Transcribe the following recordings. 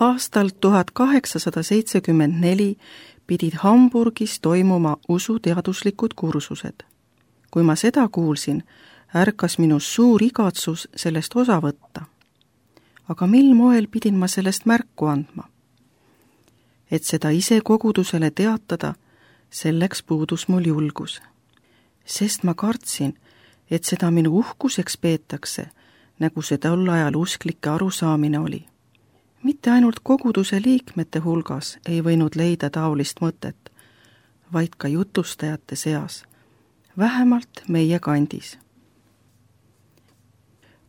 Aastal 1874 pidid Hamburgis toimuma usuteaduslikud kursused. Kui ma seda kuulsin, ärkas minus suur igatsus sellest osa võtta. Aga mil moel pidin ma sellest märku andma? Et seda ise kogudusele teatada, selleks puudus mul julgus. Sest ma kartsin, et seda minu uhkuseks peetakse, nagu see tol ajal usklike arusaamine oli. Mitte ainult koguduse liikmete hulgas ei võinud leida taolist mõtet, vaid ka jutlustajate seas, vähemalt meie kandis.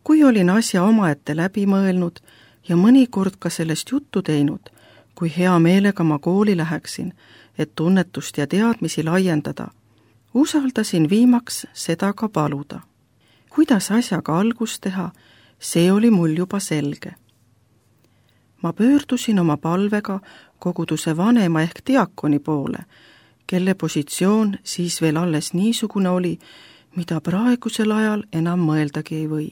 Kui olin asja omaette läbi mõelnud ja mõnikord ka sellest juttu teinud, kui hea meelega ma kooli läheksin, et tunnetust ja teadmisi laiendada, usaldasin viimaks seda ka paluda. Kuidas asjaga algust teha, see oli mul juba selge. Ma pöördusin oma palvega koguduse vanema ehk diakoni poole, kelle positsioon siis veel alles niisugune oli, mida praegusel ajal enam mõeldagi ei või.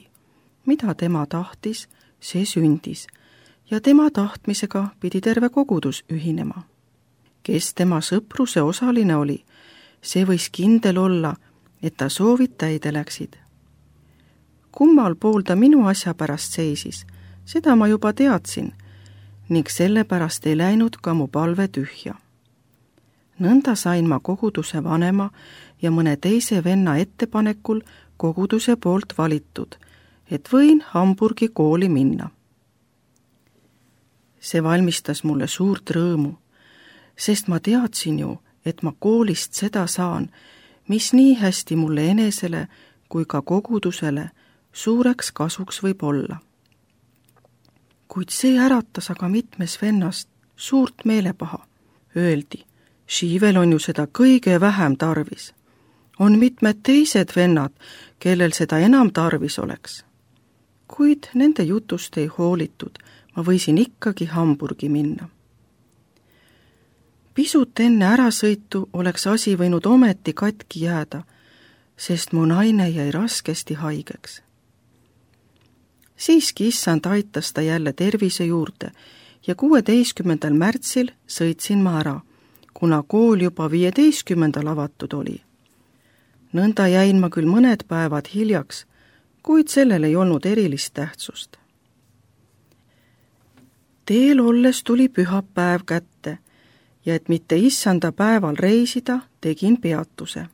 Mida tema tahtis, see sündis, ja tema tahtmisega pidi terve kogudus ühinema. Kes tema sõpruse osaline oli, see võis kindel olla, et ta soovid täide läksid. Kummal pool ta minu asja pärast seisis, seda ma juba teadsin, ning sellepärast ei läinud ka mu palve tühja. Nõnda sain ma koguduse vanema ja mõne teise venna ettepanekul koguduse poolt valitud, et võin Hamburgi kooli minna. See valmistas mulle suurt rõõmu, sest ma teadsin ju, et ma koolist seda saan, mis nii hästi mulle enesele kui ka kogudusele suureks kasuks võib olla. Kuid see äratas aga mitmes vennast suurt meelepaha. Öeldi, Šiivel on ju seda kõige vähem tarvis. On mitmed teised vennad, kellel seda enam tarvis oleks. Kuid nende jutust ei hoolitud, ma võisin ikkagi Hamburgi minna. Pisut enne ärasõitu oleks asi võinud ometi katki jääda, sest mu naine jäi raskesti haigeks. Siiski issand aitas ta jälle tervise juurde ja 16. märtsil sõitsin ma ära, kuna kool juba 15. avatud oli. Nõnda jäin ma küll mõned päevad hiljaks, kuid sellel ei olnud erilist tähtsust. Teel olles tuli pühapäev kätte ja et mitte issanda päeval reisida, tegin peatuse.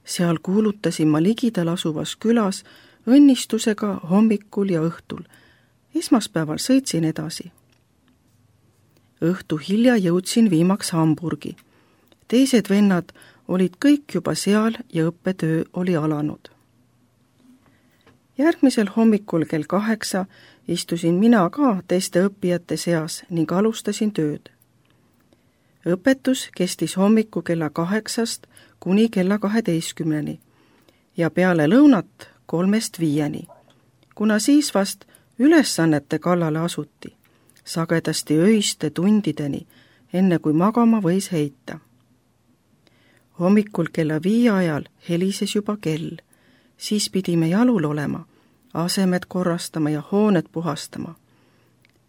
Seal kuulutasin ma ligidal asuvas külas õnnistusega hommikul ja õhtul. Esmaspäeval sõitsin edasi. Õhtu hilja jõudsin viimaks Hamburgi. Teised vennad olid kõik juba seal ja õppetöö oli alanud. Järgmisel hommikul kell 8 istusin mina ka teiste õppijate seas ning alustasin tööd. Õpetus kestis hommiku kella 8 kuni kella 12 ja peale lõunat 3-5, kuna siis vast ülesannete kallale asuti, sagedasti öiste tundideni, enne kui magama võis heita. Hommikul kella 5 ajal helises juba kell, siis pidime jalul olema, asemed korrastama ja hooned puhastama.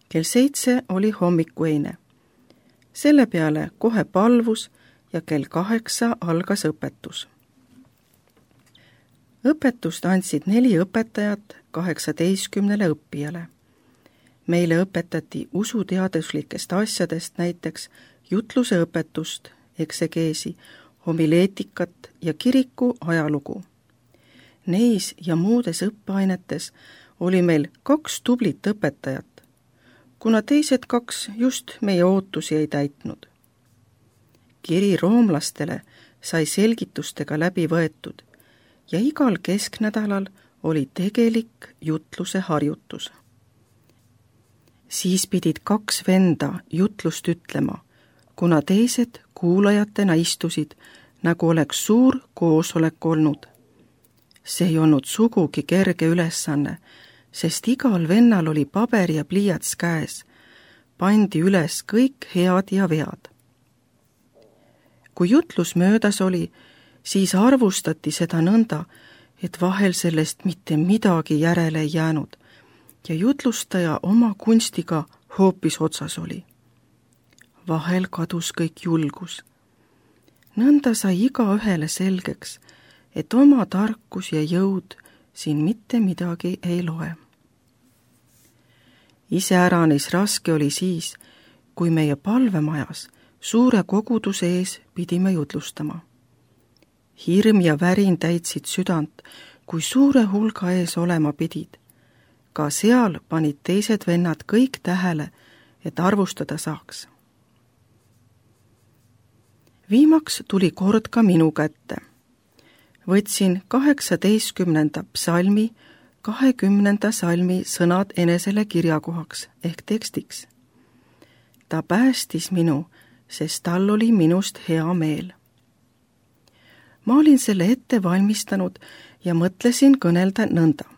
Kell 7 oli hommikueine. Selle peale kohe palvus ja kell 8 algas õpetus. Õpetust andsid 4 õpetajat 18 õppijale. Meile õpetati usuteaduslikest asjadest, näiteks jutluse õpetust, eksegeesi, homileetikat ja kiriku ajalugu. Neis ja muudes õppeainetes oli meil 2 tublit õpetajat, kuna teised 2 just meie ootusi ei täitnud. Kiri roomlastele sai selgitustega läbi võetud ja igal kesknädalal oli tegelik jutluse harjutus. Siis pidid 2 venda jutlust ütlema, kuna teised kuulajatena istusid, nagu oleks suur koosolek olnud. See ei olnud sugugi kerge ülesanne, sest igal vennal oli paber ja pliiats käes, pandi üles kõik head ja vead. Kui jutlus möödas oli, siis arvustati seda nõnda, et vahel sellest mitte midagi järele ei jäänud ja jutlustaja oma kunstiga hoopis otsas oli. Vahel kadus kõik julgus. Nõnda sai igaühele selgeks, et oma tarkus ja jõud siin mitte midagi ei loe. Iseäranis raske oli siis, kui meie palvemajas suure koguduse ees pidime jutlustama. Hirm ja värin täitsid südant, kui suure hulga ees olema pidid. Ka seal panid teised vennad kõik tähele, et arvustada saaks. Viimaks tuli kord ka minu kätte. Võtsin 18. psalmi 20. salmi sõnad enesele kirjakohaks ehk tekstiks. Ta päästis minu, sest tal oli minust hea meel. Ma olin selle ette valmistanud ja mõtlesin kõnelda nõnda.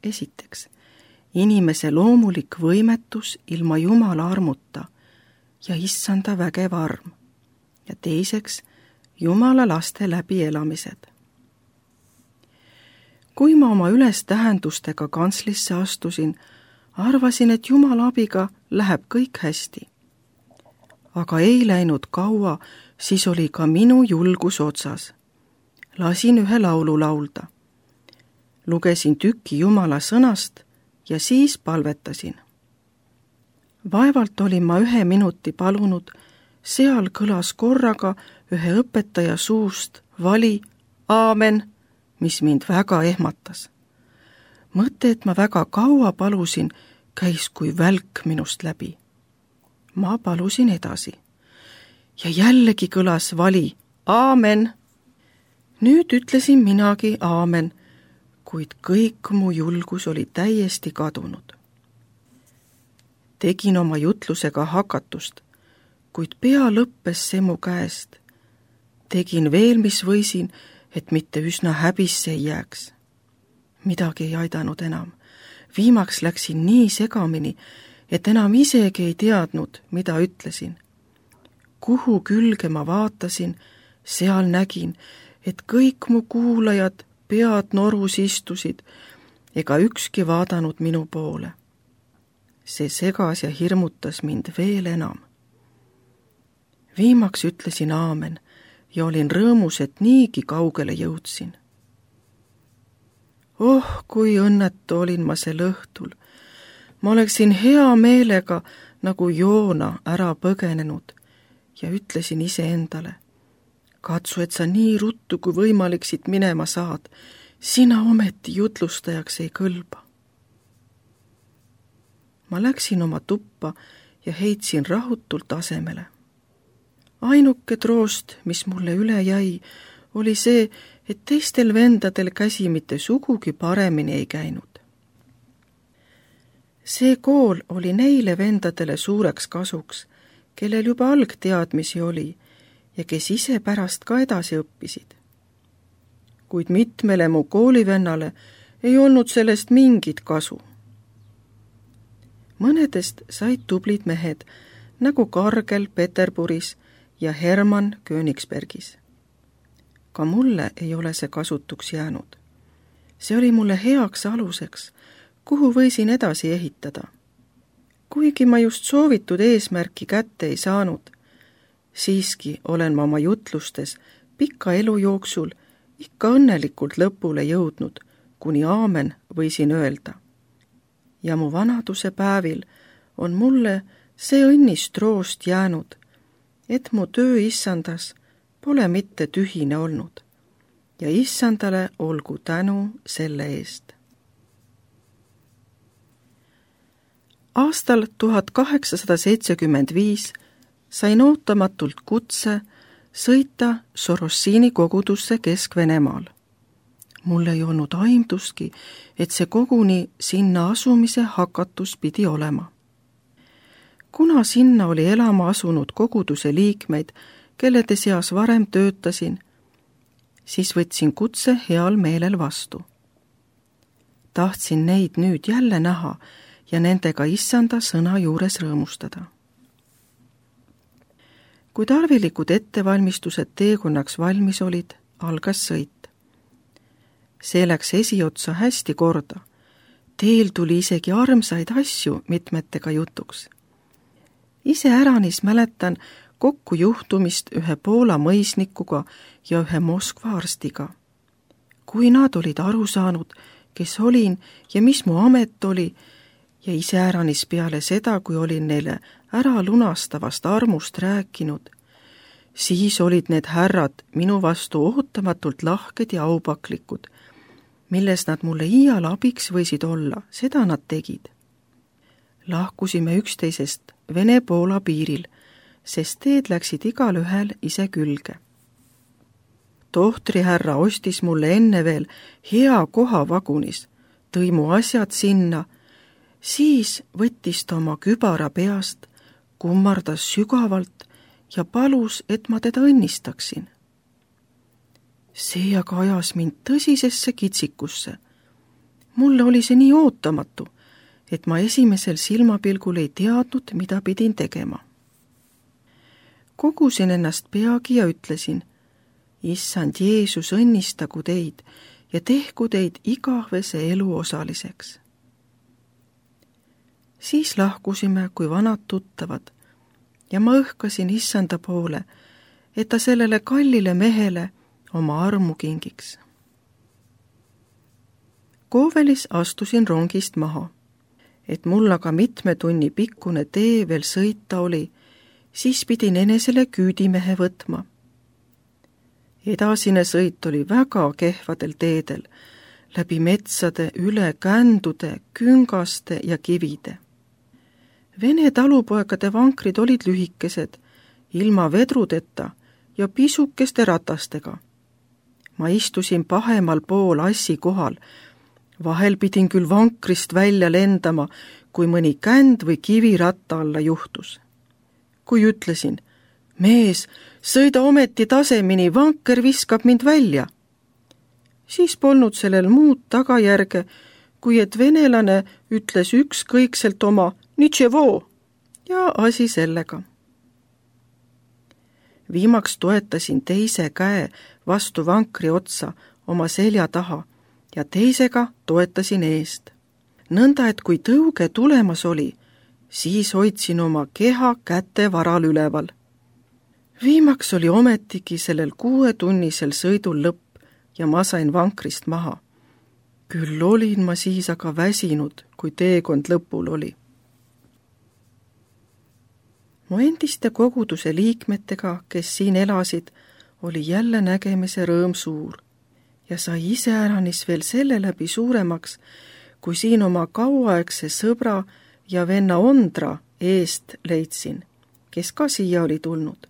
Esiteks, inimese loomulik võimetus ilma Jumala armuta ja issanda vägev arm. Ja teiseks, Jumala laste läbielamised. Kui ma oma ülestähendustega kantslisse astusin, arvasin, et Jumala abiga läheb kõik hästi. Aga ei läinud kaua, siis oli ka minu julgus otsas. Lasin ühe laulu laulda. Lugesin tüki Jumala sõnast ja siis palvetasin. Vaevalt olin ma 1 minuti palunud, seal kõlas korraga ühe õpetaja suust vali aamen, mis mind väga ehmatas. Mõte, et ma väga kaua palusin, käis kui välk minust läbi. Ma palusin edasi. Ja jällegi kõlas vali aamen. Nüüd ütlesin minagi aamen, kuid kõik mu julgus oli täiesti kadunud. Tegin oma jutlusega hakatust, kuid pea lõppes see mu käest. Tegin veel, mis võisin, et mitte üsna häbisse ei jääks. Midagi ei aidanud enam. Viimaks läksin nii segamini, et enam isegi ei teadnud, mida ütlesin. Kuhu külge ma vaatasin, seal nägin, et kõik mu kuulajad pead norus istusid ega ükski vaadanud minu poole. See segas ja hirmutas mind veel enam. Viimaks ütlesin aamen ja olin rõõmus, et niigi kaugele jõudsin. Oh, kui õnnetu olin ma sel õhtul. Ma oleksin hea meelega nagu Joona ära põgenenud ja ütlesin iseendale, katsu, et sa nii ruttu kui võimalik siit minema saad, sina ometi jutlustajaks ei kõlba. Ma läksin oma tuppa ja heitsin rahutult asemele. Ainuke troost, mis mulle üle jäi, oli see, et teistel vendadel käsi mitte sugugi paremini ei käinud. See kool oli neile vendadele suureks kasuks, kellel juba algteadmisi oli ja kes ise pärast ka edasi õppisid. Kuid mitmele mu koolivennale ei olnud sellest mingit kasu. Mõnedest said tublid mehed, nagu Kargel Peterburis ja Hermann Königsbergis. Ka mulle ei ole see kasutuks jäänud. See oli mulle heaks aluseks, kuhu võisin edasi ehitada. Kuigi ma just soovitud eesmärki kätte ei saanud, siiski olen ma oma jutlustes pika elu jooksul ikka õnnelikult lõpule jõudnud, kuni aamen võisin öelda. Ja mu vanaduse päevil on mulle see õnnist troost jäänud, et mu töö issandas pole mitte tühine olnud ja issandale olgu tänu selle eest. Aastal 1875 sain ootamatult kutse sõita Sorossini kogudusse Kesk-Venemaal. Mul ei olnud aimdustki, et see koguni sinna asumise hakatus pidi olema. Kuna sinna oli elama asunud koguduse liikmeid, kellede seas varem töötasin, siis võtsin kutse heal meelel vastu. Tahtsin neid nüüd jälle näha ja nendega issanda sõna juures rõõmustada. Kui tarvilikud ettevalmistused teekonnaks valmis olid, algas sõit. See läks esiotsa hästi korda. Teel tuli isegi armsaid asju mitmetega jutuks. Iseäranis mäletan kokkujuhtumist ühe Poola mõisnikuga ja ühe Moskva arstiga. Kui nad olid aru saanud, kes olin ja mis mu amet oli, ja iseäranis peale seda, kui olin neile ära lunastavast armust rääkinud, siis olid need härrad minu vastu ootamatult lahked ja aupaklikud, milles nad mulle iial abiks võisid olla, seda nad tegid. Lahkusime üksteisest Vene-Poola piiril, sest teed läksid igal ühel ise külge. Tohtrihärra ostis mulle enne veel hea koha vagunis, tõi mu asjad sinna, siis võttis ta oma kübara peast, kummardas sügavalt ja palus, et ma teda õnnistaksin. See aga ajas mind tõsisesse kitsikusse. Mulle oli see nii ootamatu, et ma esimesel silmapilgul ei teadnud, mida pidin tegema. Kogusin ennast peagi ja ütlesin, Issand Jeesus, õnnistagu teid ja tehku teid igavese elu osaliseks. Siis lahkusime kui vanad tuttavad ja ma õhkasin Issanda poole, et ta sellele kallile mehele oma armu kingiks. Koovelis astusin rongist maha, et mul aga mitme tunni pikkune tee veel sõita oli, siis pidin enesele küüdimehe võtma. Edasine sõit oli väga kehvadel teedel, läbi metsade, üle kändude, küngaste ja kivide. Vene talupoegade vankrid olid lühikesed, ilma vedrudeta ja pisukeste ratastega. Ma istusin pahemal pool assi kohal, vahel pidin küll vankrist välja lendama, kui mõni känd või kivi ratta alla juhtus. Kui ütlesin, mees, sõida ometi tasemini, vanker viskab mind välja. Siis polnud sellel muud tagajärge, kui et venelane ütles ükskõikselt oma nitševo ja asi sellega. Viimaks toetasin teise käe vastu vankri otsa oma selja taha ja teisega toetasin eest. Nõnda, et kui tõuge tulemas oli, siis hoidsin oma keha käte varal üleval. Viimaks oli ometigi sellel 6-tunnisel sõidul lõpp ja ma sain vankrist maha. Küll olin ma siis aga väsinud, kui teekond lõpul oli. Mu endiste koguduse liikmetega, kes siin elasid, oli jälle nägemise rõõm suur ja sai iseäranis veel selle läbi suuremaks, kui siin oma kauaaegse sõbra ja venna Ondra eest leidsin, kes ka siia oli tulnud.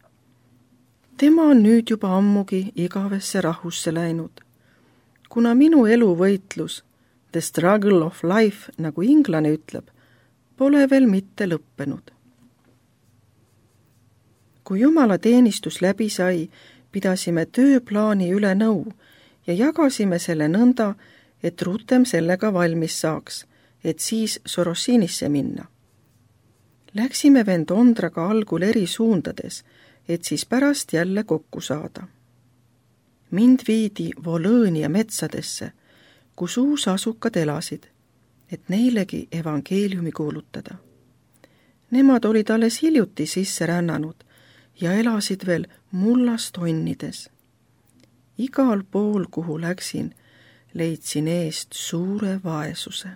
Tema on nüüd juba ammugi igavesse rahusse läinud, kuna minu eluvõitlus, the struggle of life, nagu inglane ütleb, pole veel mitte lõppenud. Kui Jumala teenistus läbi sai, pidasime tööplaani üle nõu ja jagasime selle nõnda, et rutem sellega valmis saaks, et siis Sorosiinisse minna. Läksime vend Ondraga algul eri suundades, et siis pärast jälle kokku saada. Mind viidi Volõõnia metsadesse, kus uusasukad elasid, et neilegi evangeeliumi kuulutada. Nemad olid alles hiljuti sisse rännanud ja elasid veel mullast onnides. Igal pool, kuhu läksin, leidsin eest suure vaesuse.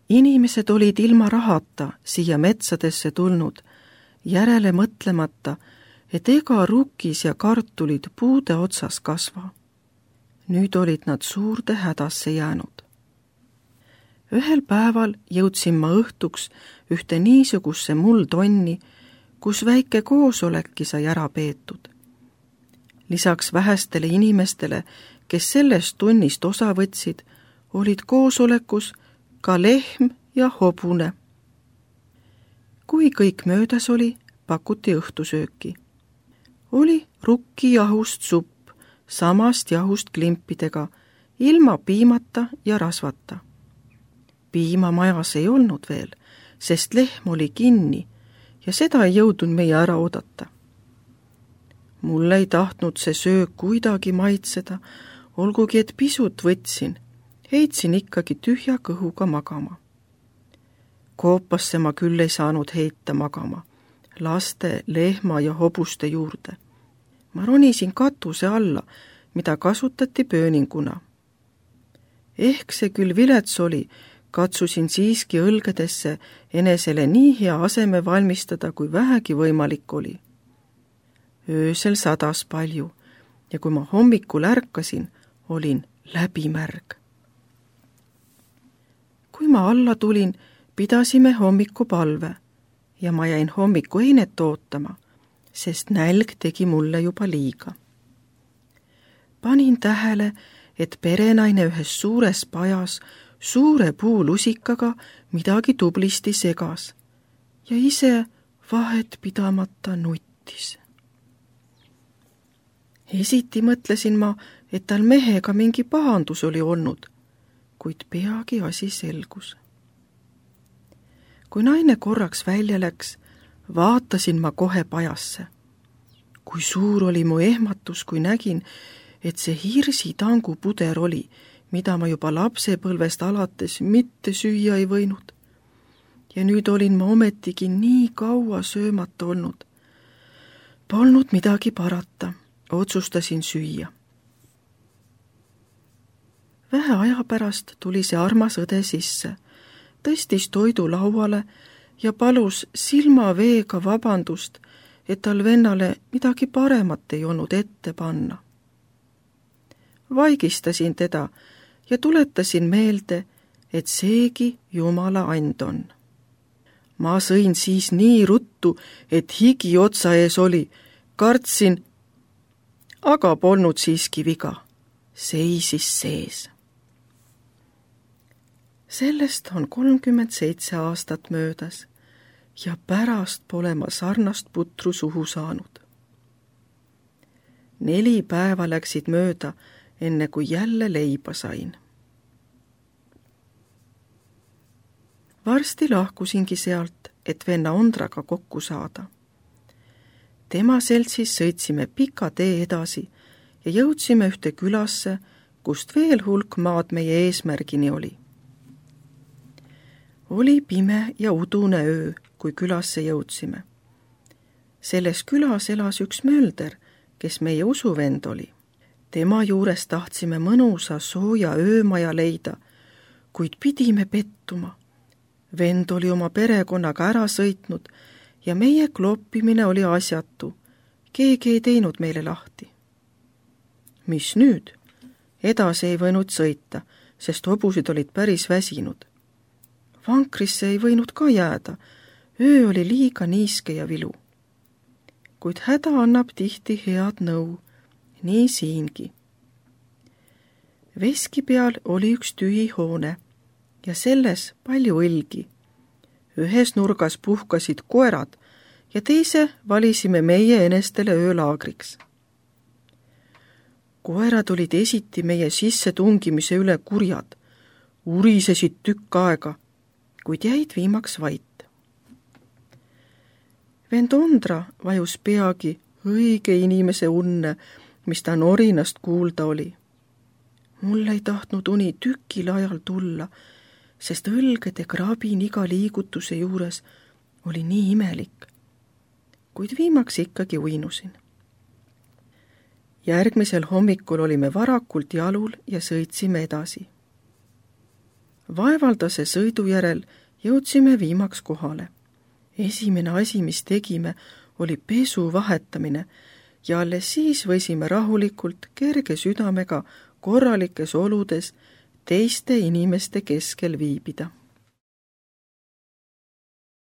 Inimesed olid ilma rahata siia metsadesse tulnud, järele mõtlemata, et ega rukkis ja kartulid puude otsas kasva. Nüüd olid nad suurde hädasse jäänud. Ühel päeval jõudsin ma õhtuks ühte niisugusse muldonni, kus väike koosolekki sai ära peetud. Lisaks vähestele inimestele, kes sellest tunnist osa võtsid, olid koosolekus ka lehm ja hobune. Kui kõik möödas oli, pakuti õhtusööki. Oli rukkijahust supp, samast jahust klimpidega, ilma piimata ja rasvata. Piima majas ei olnud veel, sest lehm oli kinni ja seda ei jõudnud meie ära oodata. Mulle ei tahtnud see söök kuidagi maitseda, olgugi et pisut võtsin, heitsin ikkagi tühja kõhuga magama. Koopasse ma küll ei saanud heita magama, laste, lehma ja hobuste juurde. Ma ronisin katuse alla, mida kasutati pööninguna. Ehk see küll vilets oli, katsusin siiski õlgedesse enesele nii hea aseme valmistada, kui vähegi võimalik oli. Öösel sadas palju ja kui ma hommikul ärkasin, olin läbimärg. Kui ma alla tulin, pidasime hommikupalve ja ma jäin hommikueinet ootama, sest nälg tegi mulle juba liiga. Panin tähele, et perenaine ühes suures pajas suure puulusikaga midagi tublisti segas ja ise vahet pidamata nuttis. Esiti mõtlesin ma, et tal mehega mingi pahandus oli olnud, kuid peagi asi selgus. Kui naine korraks välja läks, vaatasin ma kohe pajasse. Kui suur oli mu ehmatus, kui nägin, et see hirsitangu puder oli, mida ma juba lapsepõlvest alates mitte süüa ei võinud. Ja nüüd olin ma ometigi nii kaua söömata olnud. Polnud midagi parata, otsustasin süüa. Vähe aja pärast tuli see armas õde sisse, tõstis toidu lauale ja palus silmaveega vabandust, et tal vennale midagi paremat ei olnud ette panna. Vaigistasin teda ja tuletasin meelde, et seegi Jumala and on. Ma sõin siis nii ruttu, et higi otsa ees oli, kartsin, aga polnud siiski viga, seisis sees. Sellest on 37 aastat möödas ja pärast pole ma sarnast putru suhu saanud. 4 päeva läksid mööda, enne kui jälle leiba sain. Varsti lahkusingi sealt, et venna Ondraga kokku saada. Tema seltsis sõitsime pika tee edasi ja jõudsime ühte külasse, kust veel hulk maad meie eesmärgini oli. Oli pime ja udune öö, kui külasse jõudsime. Selles külas elas üks mölder, kes meie usuvend oli. Tema juures tahtsime mõnusa sooja öömaja leida, kuid pidime pettuma. Vend oli oma perekonnaga ära sõitnud ja meie kloppimine oli asjatu. Keegi ei teinud meile lahti. Mis nüüd? Edasi ei võinud sõita, sest hobusid olid päris väsinud. Vankrisse ei võinud ka jääda, öö oli liiga niiske ja vilu. Kuid häda annab tihti head nõu, nii siingi. Veski peal oli üks tühi hoone ja selles palju õlgi. Ühes nurgas puhkasid koerad ja teise valisime meie enestele öölaagriks. Koerad olid esiti meie sisse tungimise üle kurjad, urisesid tükk aega, kuid jäid viimaks vait. Vend Ondra vajus peagi õige inimese unne, mis ta norinast kuulda oli. Mul ei tahtnud uni tükil ajal tulla, sest õlgede krabin iga liigutuse juures oli nii imelik. Kuid viimaks ikkagi uinusin. Järgmisel hommikul olime varakult jalul ja sõitsime edasi. Vaevaldase sõidu järel jõudsime viimaks kohale. Esimene asi, mis tegime, oli pesu vahetamine ja alles siis võisime rahulikult kerge südamega korralikes oludes teiste inimeste keskel viibida.